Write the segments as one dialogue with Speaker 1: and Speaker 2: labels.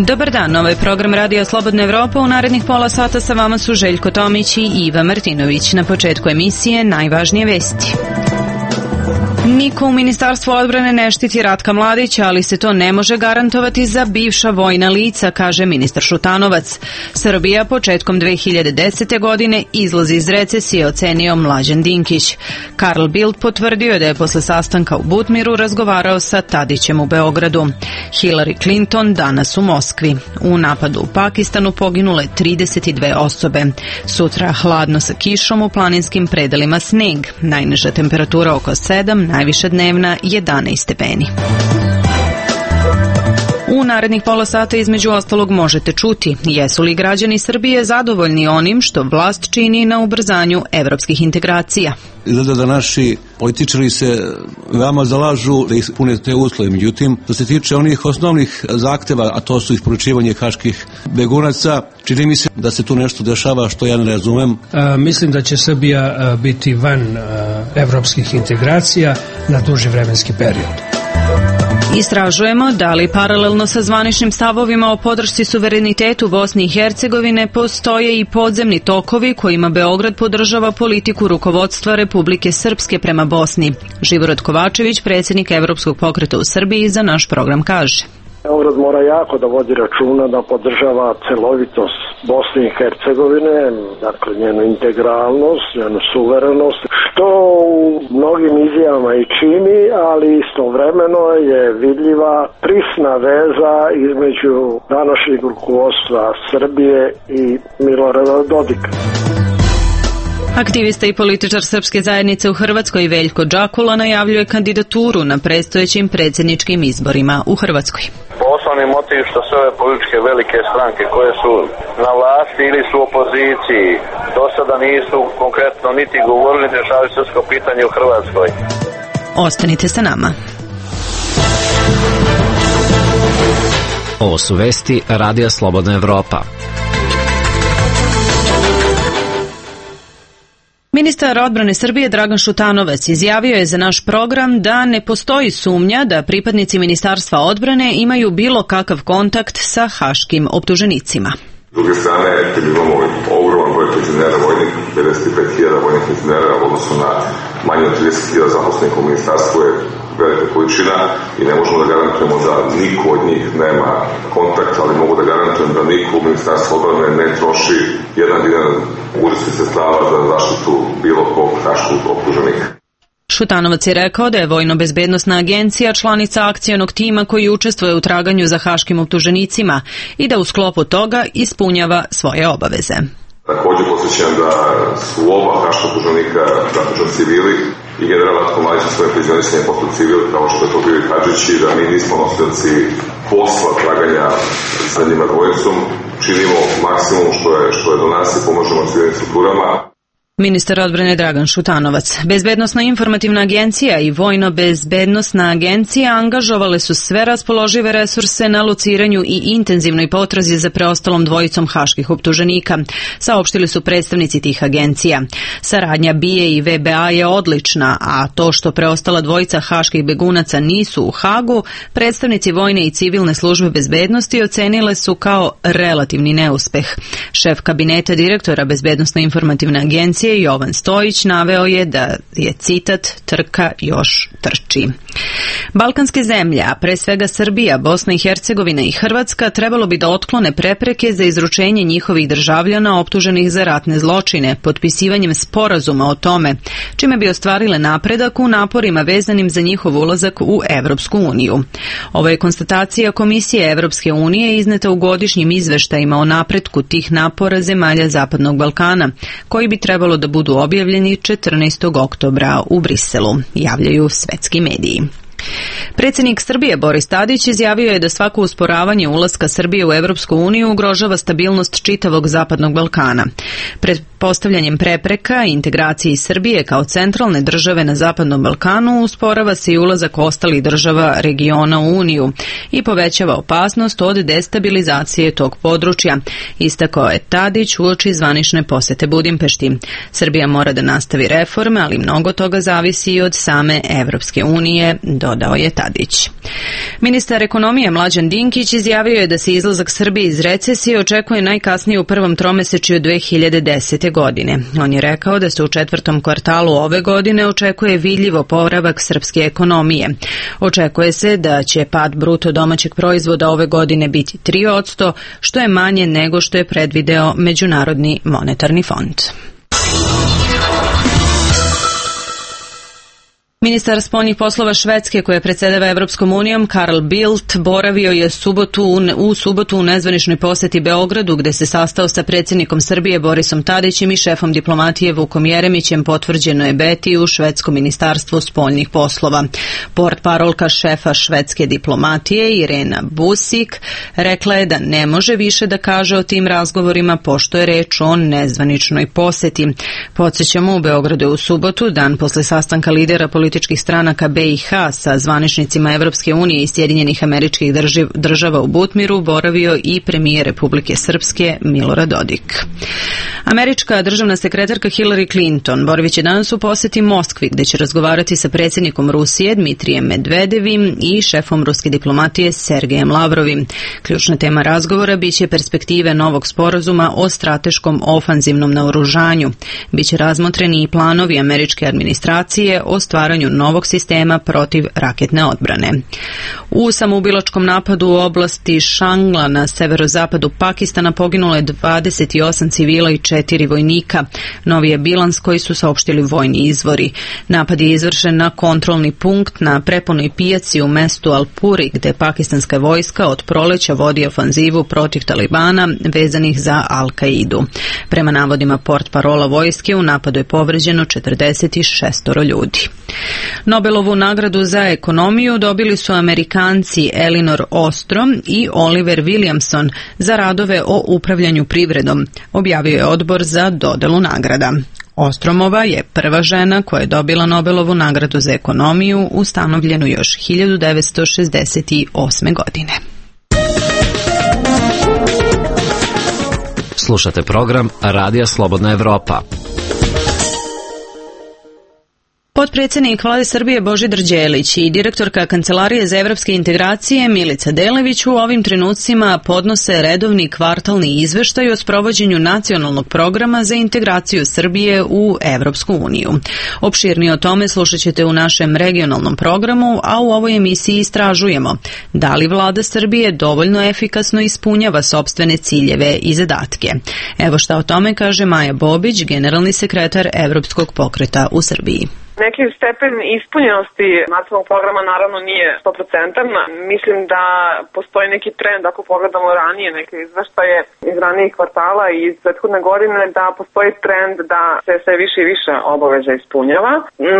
Speaker 1: Dobar dan, ovo je program Radija Slobodna Evropa. U narednih pola sata sa vama su Željko Tomić i Iva Martinović. Na početku emisije najvažnije vesti. Niko u Ministarstvu odbrane ne štiti Ratka Mladića, ali se to ne može garantovati za bivša vojna lica, kaže ministar Šutanovac. Srbija početkom 2010. godine izlazi iz recesije, ocenio Mlađan Dinkić. Karl Bildt potvrdio da je posle sastanka u Butmiru razgovarao sa Tadićem u Beogradu. Hillary Clinton danas u Moskvi. U napadu u Pakistanu poginule 32 osobe. Sutra hladno sa kišom, u planinskim predelima sneg. Najniža temperatura oko 7, najviša dnevna 11 stepeni. U narednih pola sata između ostalog možete čuti jesu li građani Srbije zadovoljni onim što vlast čini na ubrzanju evropskih integracija.
Speaker 2: Izgleda da naši političari se veoma zalažu da ispune te uslove. Međutim, što se tiče onih osnovnih zahteva, a to su isporučivanje haških begunaca, čini mi se da se tu nešto dešava što ja ne razumem.
Speaker 3: Mislim da će Srbija biti van evropskih integracija na duži vremenski period.
Speaker 1: Istražujemo da li paralelno sa zvaničnim stavovima o podršci suverenitetu Bosne i Hercegovine postoje i podzemni tokovi kojima Beograd podržava politiku rukovodstva Republike Srpske prema Bosni. Živorad Kovačević, predsjednik Evropskog pokreta u Srbiji, za naš program kaže:
Speaker 4: Beograd mora jako da vodi računa da podržava celovitost Bosne i Hercegovine, dakle njenu integralnost, njenu suverenost, što u mnogim izjavama i čini, ali istovremeno je vidljiva prisna veza između današnjeg rukovodstva Srbije i Milorada Dodika.
Speaker 1: Aktivista i političar Srpske zajednice u Hrvatskoj Veljko Džakula najavljuje kandidaturu na predstojećim predsjedničkim izborima u Hrvatskoj.
Speaker 5: Osnovni motiv što sve ove političke velike stranke koje su na vlasti ili su u opoziciji do sada nisu konkretno niti govorili da rješavaju srpsko pitanje u Hrvatskoj.
Speaker 1: Ostanite sa nama.
Speaker 6: Ovo su vesti Radija Slobodna Evropa.
Speaker 1: Ministar odbrane Srbije Dragan Šutanovac izjavio je za naš program da ne postoji sumnja da pripadnici Ministarstva odbrane imaju bilo kakav kontakt sa haškim optuženicima.
Speaker 7: S druge strane, kad imamo ogroman broj penzionera vojnih, 55.000 vojnih penzionera u odnosu na manje od 30.000 zaposlenika u ministarstvu je velika količina i ne možemo da garantujemo da niko od njih nema kontakt, ali mogu da garantujem da niko u Ministarstvu odbrane ne troši jedan dinar budžetskih sredstava za zaštitu bilo kog haškog optuženika.
Speaker 1: Šutanovac je rekao da je Vojno-bezbednosna agencija članica akcionog tima koji učestvuje u traganju za haškim optuženicima i da u sklopu toga ispunjava svoje obaveze.
Speaker 7: Također posjećam da su oba haška optuženika zatuženi civili i general Ratko Mladić na svoje penzionisanje postao civil, kao što je to bio i Hadžić, i da mi nismo nosioci posla traganja sa njima dvojicom. Činimo maksimum što je do nas i pomožemo civilnim strukturama.
Speaker 1: Ministar odbrane Dragan Šutanovac. Bezbednosna informativna agencija i Vojno-bezbednosna agencija angažovale su sve raspoložive resurse na lociranju i intenzivnoj potrazi za preostalom dvojicom haških optuženika, saopštili su predstavnici tih agencija. Saradnja BIA i VBA je odlična, a to što preostala dvojica haških begunaca nisu u Hagu, predstavnici vojne i civilne službe bezbednosti ocenile su kao relativni neuspeh. Šef kabineta direktora Bezbednosno informativne agencije Jovan Stojić naveo je da je citat trka još trči. Balkanske zemlje, a pre svega Srbija, Bosna i Hercegovina i Hrvatska, trebalo bi da otklone prepreke za izručenje njihovih državljana optuženih za ratne zločine potpisivanjem sporazuma o tome, čime bi ostvarile napredak u naporima vezanim za njihov ulazak u Evropsku uniju. Ovo je konstatacija Komisije Evropske unije izneta u godišnjim izveštajima o napretku tih napora zemalja Zapadnog Balkana, koji bi trebalo da budu objavljeni 14. oktobra u Briselu, javljaju svetski mediji. Predsjednik Srbije Boris Tadić izjavio je da svako usporavanje ulaska Srbije u Evropsku uniju ugrožava stabilnost čitavog Zapadnog Balkana. Postavljanjem prepreka integraciji Srbije kao centralne države na Zapadnom Balkanu usporava se i ulazak ostalih država regiona u Uniju i povećava opasnost od destabilizacije tog područja, istakao je Tadić uoči zvanične posete Budimpešti. Srbija mora da nastavi reforme, ali mnogo toga zavisi i od same Evropske unije, dodao je Tadić. Ministar ekonomije Mlađan Dinkić izjavio je da se izlazak Srbije iz recesije očekuje najkasnije u prvom tromesečju 2010. godine. On je rekao da se u četvrtom kvartalu ove godine očekuje vidljiv oporavak srpske ekonomije. Očekuje se da će pad bruto domaćeg proizvoda ove godine biti 3%, što je manje nego što je predvideo Međunarodni monetarni fond. Ministar spoljnih poslova Švedske, koja predsedava Evropskom unijom, Carl Bildt, boravio je u subotu u nezvaničnoj poseti Beogradu, gde se sastao sa predsjednikom Srbije Borisom Tadićem i šefom diplomatije Vukom Jeremićem, potvrđeno je Beti u švedskom ministarstvu spoljnih poslova. Portparolka šefa švedske diplomatije Irena Busik rekla je da ne može više da kaže o tim razgovorima, pošto je reč o nezvaničnoj poseti. Podsjećamo, u Beogradu je u subotu, dan posle sastanka lidera političkih stranaka BiH sa zvaničnicima Evropske unije i Sjedinjenih Američkih Država u Butmiru, boravio i premijer Republike Srpske Milorad Dodik. Američka državna sekretarka Hillary Clinton boravit će danas u poseti Moskvi, gde će razgovarati sa predsjednikom Rusije Dmitrijem Medvedevim i šefom ruske diplomatije Sergejem Lavrovim. Ključna tema razgovora biće perspektive novog sporazuma o strateškom ofanzivnom naoružanju. Biće razmotreni i planovi američke administracije o stvaranju novog sistema protiv raketne odbrane. U samoubilačkom napadu u oblasti Šangla na severozapadu Pakistana poginulo je 28 civila i 4 vojnika. Novi je bilans koji su saopštili vojni izvori. Napad je izvršen na kontrolni punkt na prepunoj pijaci u mestu Alpuri, gde pakistanska vojska od proleća vodi ofanzivu protiv Talibana vezanih za Al-Kaidu. Prema navodima portparola vojske, u napadu je povređeno 46 ljudi. Nobelovu nagradu za ekonomiju dobili su Amerikanci Elinor Ostrom i Oliver Williamson za radove o upravljanju privredom, objavio je odbor za dodelu nagrada. Ostromova je prva žena koja je dobila Nobelovu nagradu za ekonomiju, ustanovljenu još 1968. godine.
Speaker 6: Slušate program Radija Slobodna Evropa.
Speaker 1: Potpredsjednik Vlade Srbije Božidar Đelić i direktorka Kancelarije za evropske integracije Milica Delević u ovim trenucima podnose redovni kvartalni izveštaj o sprovođenju nacionalnog programa za integraciju Srbije u Evropsku uniju. Opširnije o tome slušat ćete u našem regionalnom programu, a u ovoj emisiji istražujemo da li Vlada Srbije dovoljno efikasno ispunjava sopstvene ciljeve i zadatke. Evo šta o tome kaže Maja Bobić, generalni sekretar Evropskog pokreta u Srbiji.
Speaker 8: Neki stepen ispunjenosti nacionalnog programa naravno nije 100%. Mislim da postoji neki trend, ako pogledamo ranije neke izveštaje iz ranijih kvartala i iz prethodne godine, da postoji trend da se sve više i više obaveza ispunjava.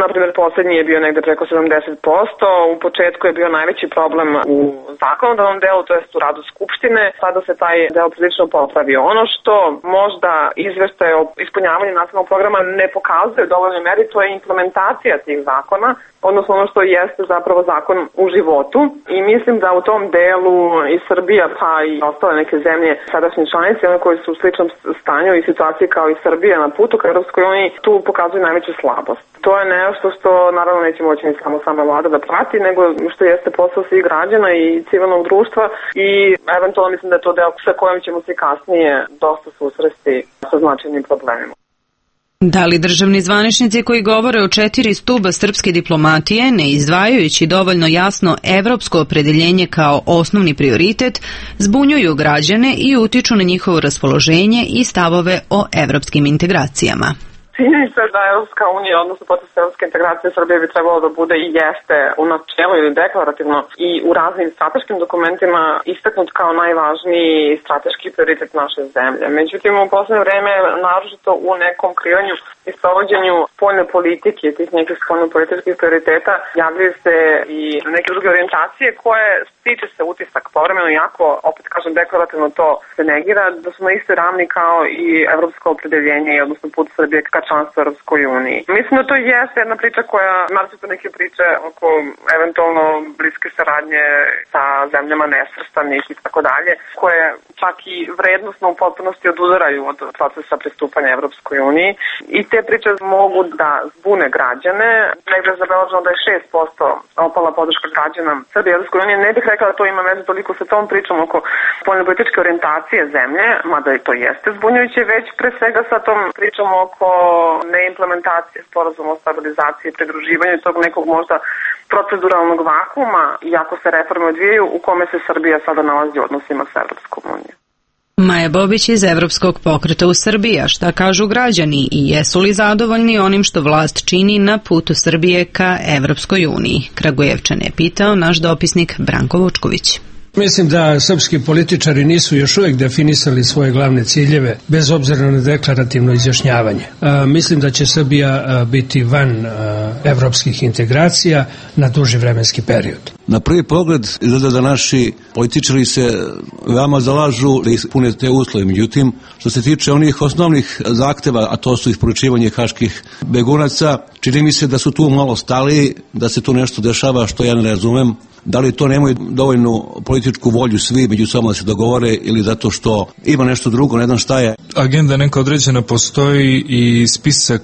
Speaker 8: Naprimjer, poslednji je bio negde preko 70%, u početku je bio najveći problem u zakonodavnom delu, to jest u radu Skupštine, sada se taj deo prilično popravio. Ono što možda izveštaje o ispunjavanju nacionalnog programa ne pokazuje u dovoljnoj meri, to je implementacija tih zakona, odnosno ono što jeste zapravo zakon u životu, i mislim da u tom delu i Srbija pa i ostale neke zemlje sadašnje članice, one koje su u sličnom stanju i situaciji kao i Srbija na putu ka Europskoj uniji, tu pokazuju najveću slabost. To je nešto što naravno neće moći ni sama vlada da prati, nego što jeste posao svih građana i civilnog društva, i eventualno mislim da je to deo sa kojim ćemo se kasnije dosta susresti sa značajnim problemima.
Speaker 1: Da li državni zvaničnici koji govore o 4 stuba srpske diplomatije, ne izdvajajući dovoljno jasno evropsko opredeljenje kao osnovni prioritet, zbunjuju građane i utiču na njihovo raspoloženje i stavove o evropskim integracijama?
Speaker 8: Činjenica da Evropska unija, odnosno proces evropske integracije Srbije bi trebalo da bude i jeste u načelu ili deklarativno i u raznim strateškim dokumentima istaknut kao najvažniji strateški prioritet naše zemlje. Međutim, u poslednje vreme, naročito u nekom kreiranju i sprovođenju spoljne politike, tih nekih spoljno-političkih prioriteta, javljaju se i neke druge orijentacije koje stiče se utisak povremeno, jako, opet kažem, deklarativno to se negira, da su na istoj ravni kao i evropsko opredeljenje, odnosno put Srbije ka članstvu Evropskoj uniji. Mislim da to jeste jedna priča koja, naročito neke priče oko eventualno bliske saradnje sa zemljama nesvrstanih i tako dalje, koje čak i vrednostno u potpunosti odudaraju od procesa pristupanja Evropskoj uniji. I te priče mogu da zbune građane. Negde je zabeleženo da je 6% opala podrška građana Srbije Evropskoj unije. Ne bih rekla da to ima veze toliko sa tom pričom oko spoljnopolitičke orijentacije zemlje, mada i to jeste zbunjujuće, već pre svega sa tom pričom oko neimplementacije sporazuma o stabilizaciji i pridruživanju tog nekog možda proceduralnog vakuma, iako se reforme odvijaju, u kome se Srbija sada nalazi u odnosima sa Evropskom unijom.
Speaker 1: Maja Bobić iz Evropskog pokreta u Srbiji, a šta kažu građani i jesu li zadovoljni onim što vlast čini na putu Srbije ka Evropskoj uniji? Kragujevčane je pitao naš dopisnik Branko Vučković.
Speaker 3: Mislim da srpski političari nisu još uvijek definisali svoje glavne ciljeve, bez obzira na deklarativno izjašnjavanje. Mislim da će Srbija biti van evropskih integracija na duži vremenski period.
Speaker 2: Na prvi pogled izgleda da naši političari se veoma zalažu da ispune te uslove. Međutim, što se tiče onih osnovnih zahteva, a to su isporučivanje haških begunaca, čini mi se da su tu malo stali, da se tu nešto dešava što ja ne razumem. Da li to nemaju dovoljnu političku volju svi među sobom da se dogovore ili zato što ima nešto drugo, ne znam šta je.
Speaker 9: Agenda neka određena postoji i spisak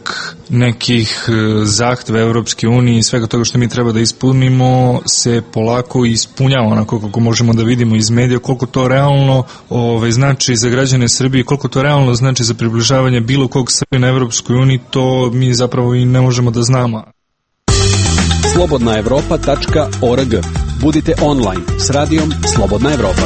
Speaker 9: nekih zahteva Evropske unije i svega toga što mi treba da ispunimo se polako ispunjava onako kako možemo da vidimo iz medija, koliko to realno znači za građane Srbije, koliko to realno znači za približavanje bilo kog Srbije na Evropskoj uniji, to mi zapravo i ne možemo da znamo.
Speaker 10: slobodnaevropa.org. Budite online s radijom Slobodna Evropa.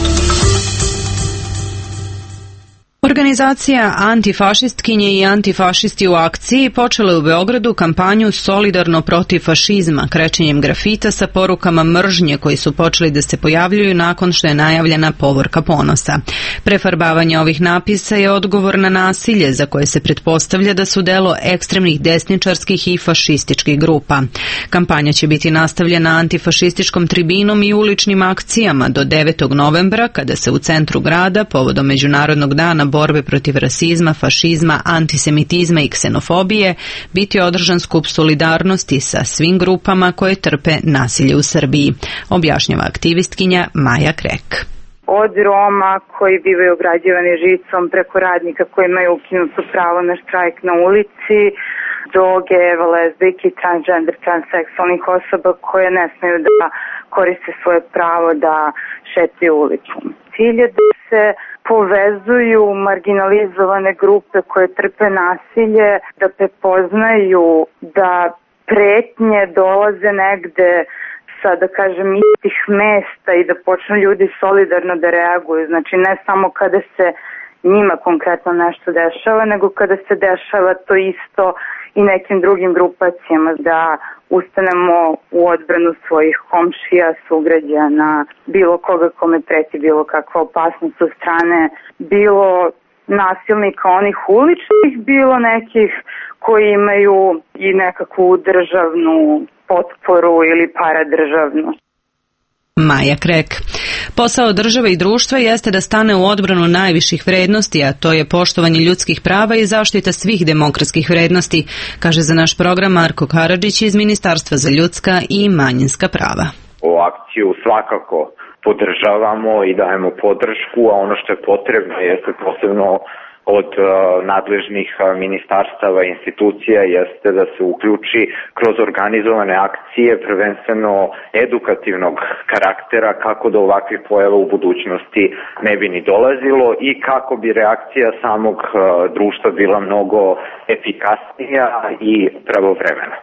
Speaker 1: Organizacija Antifašistkinje i antifašisti u akciji počela je u Beogradu kampanju Solidarno protiv fašizma, krečenjem grafita sa porukama mržnje koji su počeli da se pojavljuju nakon što je najavljena povorka ponosa. Prefarbavanje ovih napisa je odgovor na nasilje za koje se pretpostavlja da su delo ekstremnih desničarskih i fašističkih grupa. Kampanja će biti nastavljena antifašističkom tribinom i uličnim akcijama do 9. novembra kada se u centru grada povodom Međunarodnog dana borbe protiv rasizma, fašizma, antisemitizma i ksenofobije biti održan skup solidarnosti sa svim grupama koje trpe nasilje u Srbiji, objašnjava aktivistkinja Maja Krek.
Speaker 11: Od Roma koji bivaju ograđivani žicom, preko radnika koji imaju ukinuto pravo na štrajk na ulici, do gejeva, lezbijki, transgender, transseksualnih osoba koje ne smeju da koriste svoje pravo da šetaju ulicom. Cilj je da se povezuju marginalizovane grupe koje trpe nasilje, da prepoznaju da pretnje dolaze negde sa, da kažem, istih mesta i da počnu ljudi solidarno da reaguju. Znači ne samo kada se njima konkretno nešto dešava, nego kada se dešava to isto i nekim drugim grupacijama, da ustanemo u odbranu svojih komšija, sugrađana, bilo koga kome preti bilo kakva opasnost od strane, bilo nasilnika onih uličnih, bilo nekih koji imaju i nekakvu državnu potporu ili paradržavnu.
Speaker 1: Maja Krek. Posao države i društva jeste da stane u odbranu najviših vrednosti, a to je poštovanje ljudskih prava i zaštita svih demokratskih vrednosti, kaže za naš program Marko Karadžić iz Ministarstva za ljudska i manjinska prava.
Speaker 12: O akciju svakako podržavamo i dajemo podršku, a ono što je potrebno jeste posebno od nadležnih ministarstava i institucija jeste da se uključi kroz organizovane akcije, prvenstveno edukativnog karaktera, kako do ovakvih pojava u budućnosti ne bi ni dolazilo i kako bi reakcija samog društva bila mnogo efikasnija i pravovremena.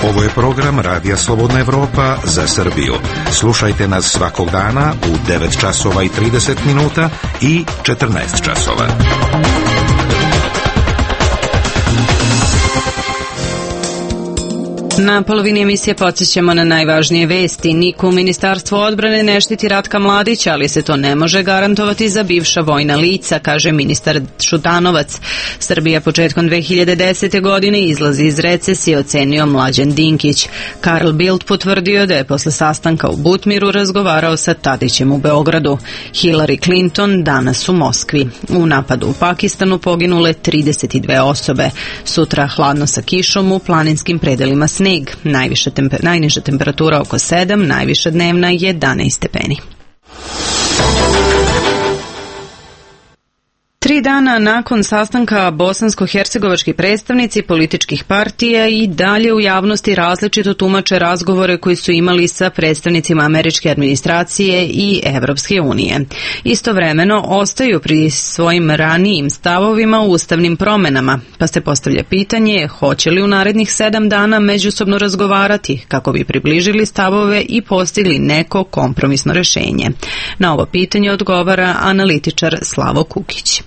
Speaker 13: Ovo je program Radija Slobodna Evropa za Srbiju. Slušajte nas svakog dana u 9 časova i 30 minuta i 14 časova.
Speaker 1: Na polovini emisije podsjećamo na najvažnije vesti. Niko u Ministarstvu odbrane ne štiti Ratka Mladića, ali se to ne može garantovati za bivša vojna lica, kaže ministar Šutanovac. Srbija početkom 2010. godine izlazi iz recesije, ocenio Mlađan Dinkić. Karl Bildt potvrdio da je posle sastanka u Butmiru razgovarao sa Tadićem u Beogradu. Hillary Clinton danas u Moskvi. U napadu u Pakistanu poginule 32 osobe. Sutra hladno sa kišom, u planinskim predelima sneg. Najniža temperatura oko 7, najviša dnevna 11 stepeni. 3 dana nakon sastanka bosansko-hercegovački predstavnici političkih partija i dalje u javnosti različito tumače razgovore koji su imali sa predstavnicima američke administracije i Evropske unije. Istovremeno ostaju pri svojim ranijim stavovima u ustavnim promenama, pa se postavlja pitanje hoće li u narednih 7 dana međusobno razgovarati kako bi približili stavove i postigli neko kompromisno rešenje. Na ovo pitanje odgovara analitičar Slavo Kukić.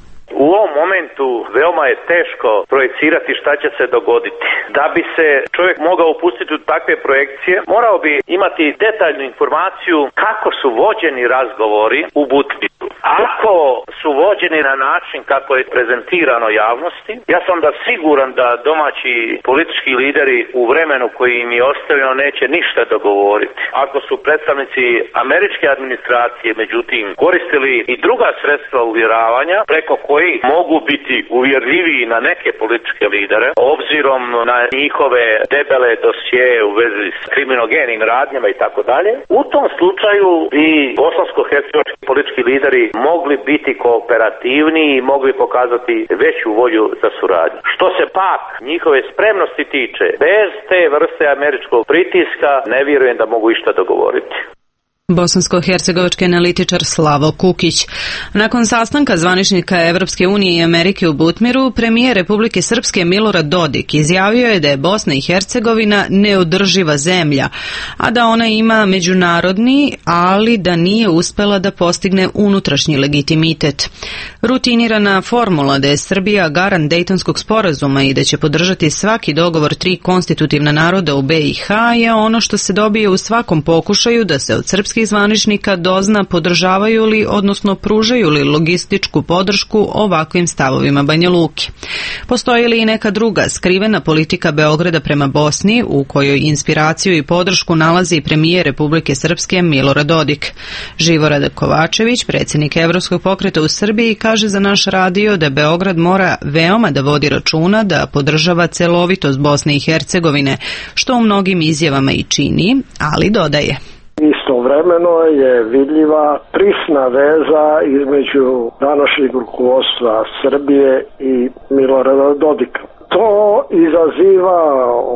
Speaker 14: U ovom momentu veoma je teško projecirati šta će se dogoditi. Da bi se čovjek mogao upustiti u takve projekcije, morao bi imati detaljnu informaciju kako su vođeni razgovori u Butmiru. Ako su vođeni na način kako je prezentirano javnosti, ja sam siguran da domaći politički lideri u vremenu koji im je ostavljeno neće ništa dogovoriti. Ako su predstavnici američke administracije, međutim, koristili i druga sredstva uvjeravanja preko koji mogu biti uvjerljiviji na neke političke lidere, obzirom na njihove debele dosjeje u vezi s kriminogenim radnjama i tako dalje, u tom slučaju i bosansko-hercegovački politički lideri mogli biti kooperativniji i mogli pokazati veću volju za suradnju. Što se pak njihove spremnosti tiče, bez te vrste američkog pritiska ne vjerujem da mogu išta dogovoriti.
Speaker 1: Bosansko-hercegovački analitičar Slavo Kukić. Nakon sastanka zvaničnika Evropske unije i Amerike u Butmiru, premijer Republike Srpske Milorad Dodik izjavio je da je Bosna i Hercegovina neodrživa zemlja, a da ona ima međunarodni, ali da nije uspela da postigne unutrašnji legitimitet. Rutinirana formula da je Srbija garant Dejtonskog sporazuma i da će podržati svaki dogovor 3 konstitutivna naroda u BiH je ono što se dobije u svakom pokušaju da se od srpskih zvaničnika dozna podržavaju li, odnosno pružaju li logističku podršku ovakvim stavovima Banja Luke. Postoji li i neka druga skrivena politika Beograda prema Bosni u kojoj inspiraciju i podršku nalazi premijer Republike Srpske Milorad Dodik? Živorad Kovačević, predsjednik Evropskog pokreta u Srbiji, kaže za naš radio da Beograd mora veoma da vodi računa da podržava celovitost Bosne i Hercegovine, što u mnogim izjavama i čini, ali dodaje.
Speaker 4: Istovremeno je vidljiva prisna veza između današnjeg rukovodstva Srbije i Milorada Dodika. To izaziva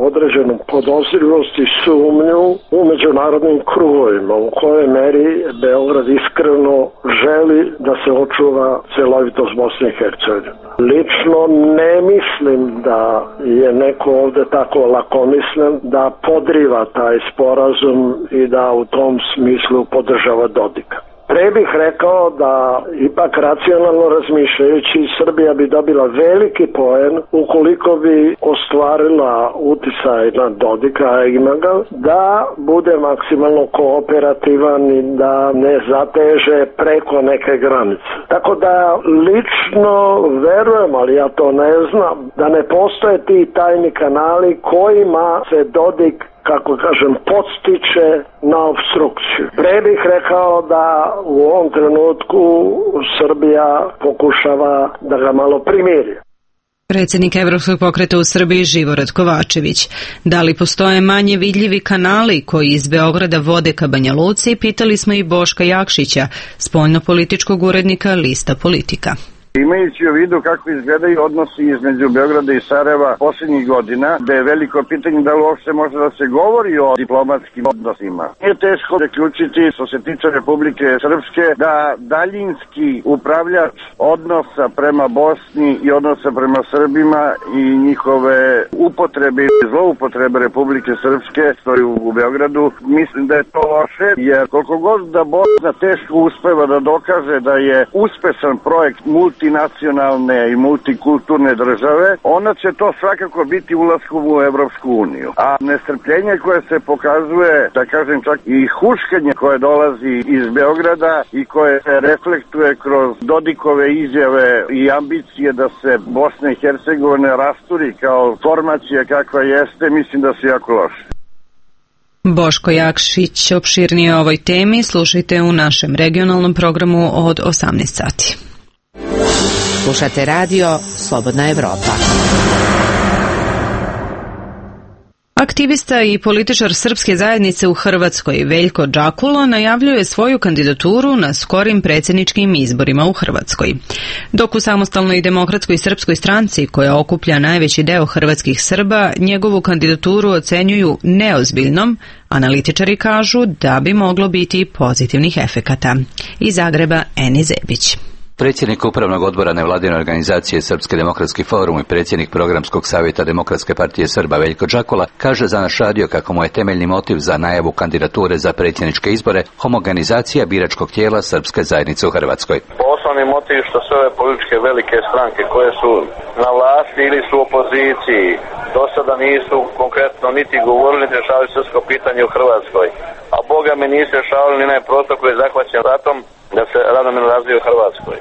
Speaker 4: određenu podozrivost i sumnju u međunarodnim krugovima u kojoj meri Beograd iskreno želi da se očuva celovitost Bosne i Hercegovine. Lično ne mislim da je neko ovde tako lakomislen da podriva taj sporazum i da u tom smislu podržava Dodika. Pre bih rekao da ipak racionalno razmišljajući Srbija bi dobila veliki poen ukoliko bi ostvarila uticaj na Dodika, a ima ga, da bude maksimalno kooperativan i da ne zateže preko neke granice. Tako da lično verujem, ali ja to ne znam, da ne postoje ti tajni kanali kojima se Dodik, kako kažem, podstiče na obstrukciju. Pre bih rekao da u ovom trenutku Srbija pokušava da ga malo primiri.
Speaker 1: Predsjednik Evropskog pokreta u Srbiji Živorad Kovačević. Da li postoje manje vidljivi kanali koji iz Beograda vode ka Banja Luci, pitali smo i Boška Jakšića, spoljnopolitičkog urednika Lista Politika.
Speaker 15: Imajući u vidu kako izgledaju odnosi između Beograda i Sarajeva posljednjih godina, da je veliko pitanje da li uopšte može da se govori o diplomatskim odnosima. Nije teško zaključiti, što se tiče Republike Srpske, da daljinski upravljač odnosa prema Bosni i odnosa prema Srbima i njihove upotrebe i zloupotrebe Republike Srpske stoji u Beogradu. Mislim da je to loše, jer koliko god da Bosna teško uspeva da dokaže da je uspešan projekt multi multinacionalne i multikulturne države, onda će to svakako biti ulaskom u Evropsku uniju. A nestrpljenje koje se pokazuje, da kažem čak i huškanje koje dolazi iz Beograda i koje se reflektuje kroz Dodikove izjave i ambicije da se Bosna i Hercegovina rasturi kao formacija kakva jeste, mislim da su jako loše.
Speaker 1: Boško Jakšić opširnije o ovoj temi slušajte u našem regionalnom programu od 18 sati.
Speaker 16: Slušate radio Slobodna Evropa.
Speaker 1: Aktivista i političar srpske zajednice u Hrvatskoj Veljko Džakulo najavljuje svoju kandidaturu na skorim predsjedničkim izborima u Hrvatskoj. Dok u Samostalnoj demokratskoj srpskoj stranci, koja okuplja najveći deo hrvatskih Srba, njegovu kandidaturu ocenjuju neozbiljnom, analitičari kažu da bi moglo biti pozitivnih efekata. Iz Zagreba Eni Zebić.
Speaker 17: Predsjednik Upravnog odbora nevladine organizacije Srpski demokratski forum i predsjednik Programskog savjeta Demokratske partije Srba Veljko Džakula kaže za naš radio kako mu je temeljni motiv za najavu kandidature za predsjedničke izbore homogenizacija biračkog tijela srpske zajednice u Hrvatskoj.
Speaker 5: Osnovni motiv što sve ove političke velike stranke koje su na vlasti ili su u opoziciji do sada nisu konkretno niti govorili niti rješavali srpsko pitanje u Hrvatskoj. A boga mi nisu rješavali ni onaj prostor koji je zahvaćen ratom da se ravnomjerno razvije u Hrvatskoj.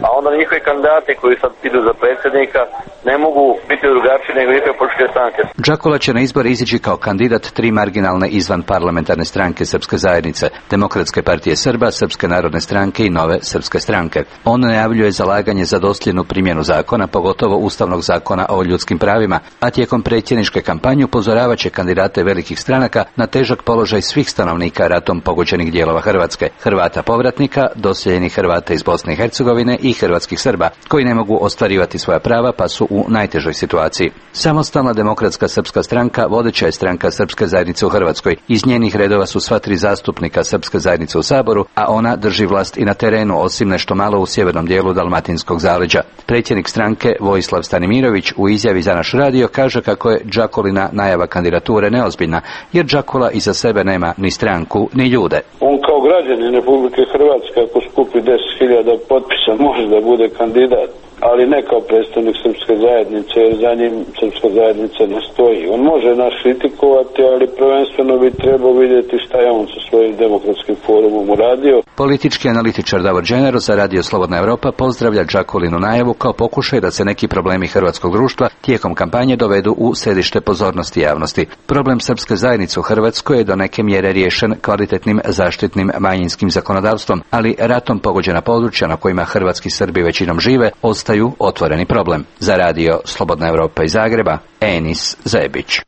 Speaker 5: A onda njihovi kandidati koji sad idu za predsjednika ne mogu biti drugačiji nego njihove političke stranke.
Speaker 17: Džakula će na izbore izići kao kandidat 3 marginalne izvan parlamentarne stranke Srpske zajednice, Demokratske partije Srba, Srpske narodne stranke i Nove srpske stranke. On najavljuje zalaganje za dosljednu primjenu zakona, pogotovo Ustavnog zakona o ljudskim pravima, a tijekom predsjedničke kampanje upozoravat će kandidate velikih stranaka na težak položaj svih stanovnika ratom pogođenih dijelova Hrvatske, Hrvata povratnika, doseljenih Hrvata iz Bosne i Hercegovine i hrvatskih Srba, koji ne mogu ostvarivati svoja prava pa su u najtežoj situaciji. Samostalna demokratska srpska stranka vodeća je stranka srpske zajednice u Hrvatskoj. Iz njenih redova su sva 3 zastupnika srpske zajednice u Saboru, a ona drži vlast i na terenu, osim nešto malo u sjevernom dijelu Dalmatinskog zaleđa. Predsjednik stranke Vojislav Stanimirović u izjavi za naš radio kaže kako je Džakolina najava kandidature neozbiljna, jer Džakula iza sebe nema ni stranku ni ljude.
Speaker 18: On kao građanin Republike Hrvatske, ako skupi 10.000 potpisa, može da bude kandidat, ali ne kao predstavnik srpske zajednice, jer za njim srpska zajednica ne stoji. On može nas kritikovati, ali prvenstveno bi trebao vidjeti šta je on sa svojim demokratskim forumom uradio.
Speaker 17: Politički analitičar Davor Dženero za radio Slobodna Evropa pozdravlja Džakolinu najavu kao pokušaj da se neki problemi hrvatskog društva tijekom kampanje dovedu u središte pozornosti javnosti. Problem srpske zajednice u Hrvatskoj je do neke mjere riješen kvalitetnim zaštitnim manjinskim zakonodavstvom, ali ratom pogođena područja na kojima hrvatski Srbi većinom žive ostaju otvoreni problem. Za radio Slobodna Evropa iz Zagreba, Enis Zebić.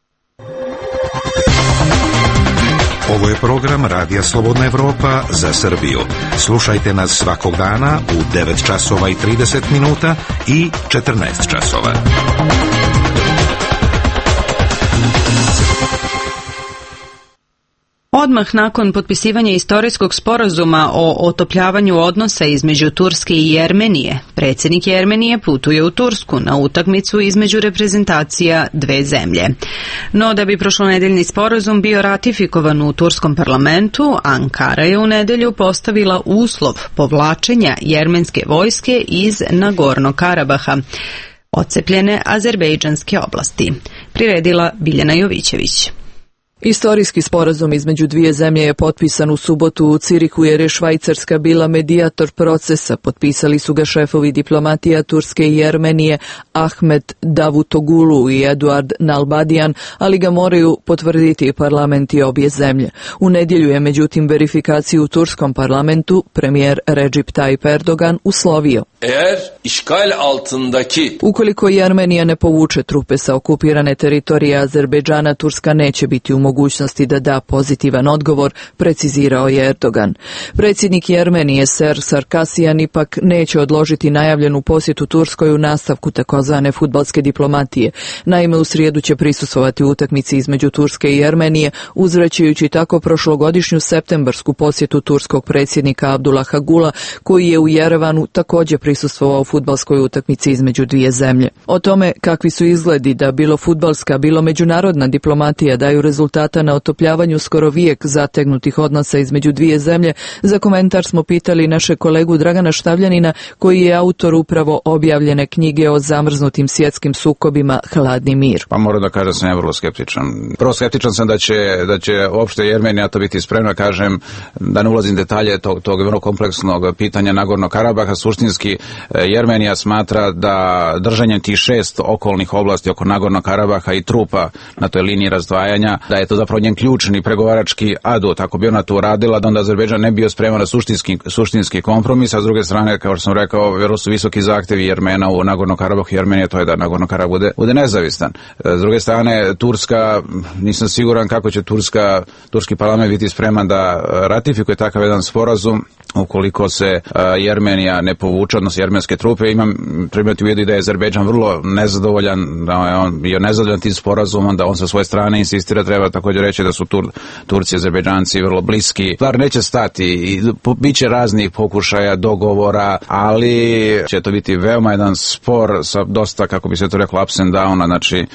Speaker 13: Ovo je program Radija Slobodna Evropa za Srbiju. Slušajte nas svakog dana u 9 časova i 30 minuta i 14 časova.
Speaker 1: Odmah nakon potpisivanja istorijskog sporazuma o otopljavanju odnosa između Turske i Jermenije, predsjednik Jermenije putuje u Tursku na utakmicu između reprezentacija dve zemlje. No da bi prošlonedeljni sporazum bio ratifikovan u turskom parlamentu, Ankara je u nedelju postavila uslov povlačenja jermenske vojske iz Nagornog Karabaha, odcepljene azerbejdžanske oblasti. Priredila Biljana Jovićević.
Speaker 19: Istorijski sporazum između dvije zemlje je potpisan u subotu u Cirihu jer je Švajcarska bila medijator procesa. Potpisali su ga šefovi diplomatija Turske i Jermenije Ahmet Davutoglu i Eduard Nalbadian, ali ga moraju potvrditi parlamenti obje zemlje. U nedjelju je međutim verifikaciju u turskom parlamentu premijer Recep Tayyip Erdogan uslovio. Ukoliko Jermenija ne povuče trupe sa okupirane teritorije Azerbejdžana, Turska neće biti u mogućnosti da da pozitivan odgovor, precizirao je Erdogan. Predsjednik Jermenije Ser Sarkasijan ipak neće odložiti najavljenu posjetu Turskoj u nastavku takozvane fudbalske diplomatije. Naime, u srijedu će prisustvovati utakmici između Turske i Jermenije, uzvraćajući tako prošlogodišnju septembarsku posjetu turskog predsjednika Abdullaha Gula, koji je u Jerevanu također prisustvovao u fudbalskoj utakmici između dvije zemlje. O tome kakvi su izgledi da bilo fudbalska, bilo međunarodna diplomatija daju rezultate rezultata na otopljavanju skoro vijek zategnutih odnosa između dvije zemlje. Za komentar smo pitali naše kolegu Dragana Štavljanina, koji je autor upravo objavljene knjige o zamrznutim svjetskim sukobima Hladni mir.
Speaker 20: Pa moram da kažem da sam ja vrlo skeptičan. Prvo skeptičan sam da će uopšte Jermenija to biti spremna, kažem, da ne ulazim detalje tog vrlo kompleksnog pitanja Nagorno Karabaha. Suštinski Jermenija smatra da držanjem tih 6 okolnih oblasti oko Nagorno Karabaha i trupa na toj liniji razdvajanja, da je to zapravo njen ključni pregovarački adut. Ako bi ona to uradila, da onda Azerbejdžan ne bio spreman na suštinski kompromis, a s druge strane, kao što sam rekao, vrlo su visoki zahtevi Jermena u Nagorno Karabahu i Jermenije, to je da Nagorno Karabah bude nezavistan. S druge strane, Turska, nisam siguran kako će turski parlament biti spreman da ratifikuje takav jedan sporazum ukoliko se Jermenija ne povuče, odnosno jermenske trupe. Imam primjeti u vidu da je Azerbejdžan vrlo nezadovoljan, da je on bio nezadovoljan tim sporazumom, da on sa svoje strane insistira, treba također reći da su Turci i Azerbejdžanci vrlo bliski. Stvar neće stati i bit će raznih pokušaja, dogovora, ali će to biti veoma jedan spor sa dosta, kako bi se to reklo, ups and downa, znači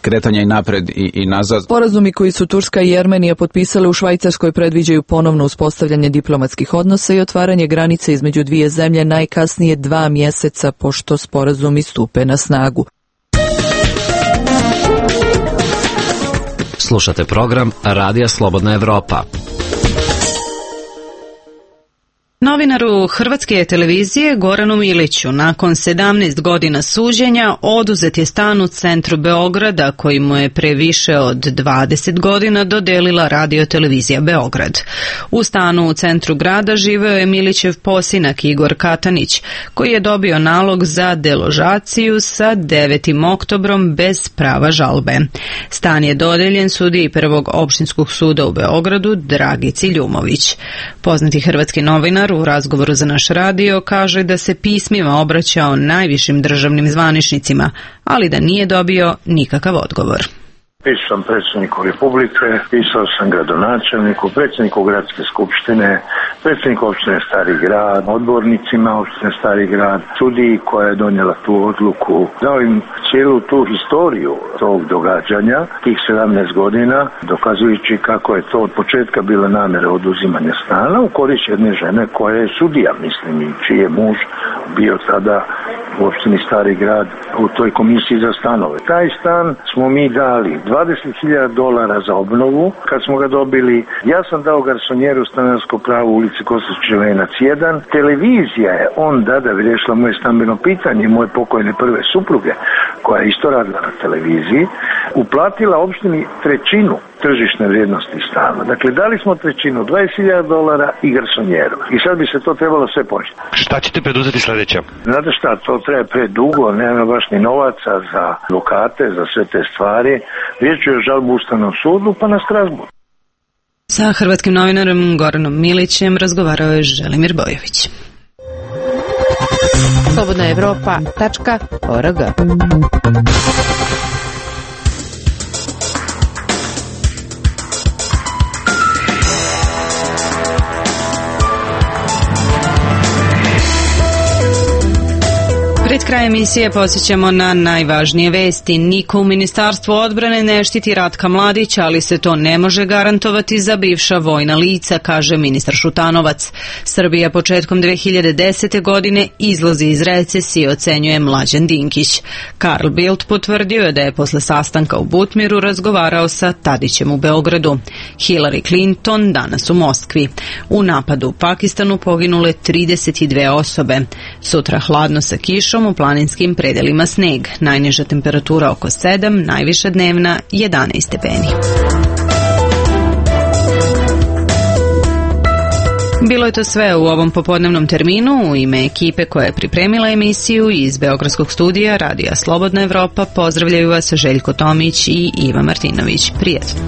Speaker 20: kretanja i napred i nazad.
Speaker 19: Sporazumi koji su Turska i Jermenija potpisale u Švajcarskoj predviđaju ponovno uspostavljanje diplomatskih odnosa i otvaranje granice između dvije zemlje najkasnije 2 mjeseca pošto sporazumi stupe na snagu.
Speaker 6: Slušate program Radija Slobodna Evropa.
Speaker 1: Novinaru Hrvatske televizije Goranu Miliću nakon 17 godina suđenja oduzet je stan u centru Beograda koji mu je pre više od 20 godina dodelila Radio-televizija Beograd. U stanu u centru grada živeo je Milićev posinak Igor Katanić, koji je dobio nalog za deložaciju sa 9. oktobrom bez prava žalbe. Stan je dodeljen sudiji Prvog opštinskog suda u Beogradu Dragici Ljumović. Poznati hrvatski novinar u razgovoru za naš radio kaže da se pismima obraćao najvišim državnim zvaničnicima, ali da nije dobio nikakav odgovor.
Speaker 21: Pisao sam predsjedniku Republike, pisao sam gradonačelniku, predsjedniku gradske skupštine, predsjedniku opštine Stari grad, odbornicima opštine Stari grad, sudiji koja je donijela tu odluku. Dao im cijelu tu historiju tog događanja, tih 17 godina, dokazujući kako je to od početka bila namjera oduzimanja stana u korist jedne žene koja je sudija, mislim, i čiji je muž bio tada u opštini Stari grad u toj komisiji za stanove. Taj stan smo mi dali $20.000 za obnovu. Kad smo ga dobili, ja sam dao garsonjeru stanarsko pravo u ulici Kostić Venac 1. Televizija je onda, da bi riješila moje stambeno pitanje, moje pokojne prve supruge, koja je isto radila na televiziji, uplatila opštini trećinu tržišne vrijednosti stana. Dakle, dali smo trećinu, $20.000 i garsonjeru. I sad bi se to trebalo sve početi.
Speaker 22: Šta ćete preduzeti sljedeće?
Speaker 21: Znate šta, to treba predugo, nema baš ni novaca za advokate, za sve te stvari. Riječ je o žalbu Ustavnom sudu, pa na Strasbourg.
Speaker 1: Sa hrvatskim novinarom Goranom Milićem razgovarao je Želimir Bojović.
Speaker 16: slobodnaevropa.org.
Speaker 1: Pred kraj emisije podsjećamo na najvažnije vesti. Niko u Ministarstvu odbrane ne štiti Ratka Mladića, ali se to ne može garantovati za bivša vojna lica, kaže ministar Šutanovac. Srbija početkom 2010. godine izlazi iz recesije, ocenjuje Mlađan Dinkić. Karl Bildt potvrdio je da je posle sastanka u Butmiru razgovarao sa Tadićem u Beogradu. Hillary Clinton danas u Moskvi. U napadu u Pakistanu poginule 32 osobe. Sutra hladno sa kišom, u planinskim predelima sneg. Najniža temperatura oko 7, najviša dnevna 11 stepeni. Bilo je to sve u ovom popodnevnom terminu. U ime ekipe koja je pripremila emisiju iz Beogradskog studija Radija Slobodna Evropa pozdravljaju vas Željko Tomić i Iva Martinović. Prijatno.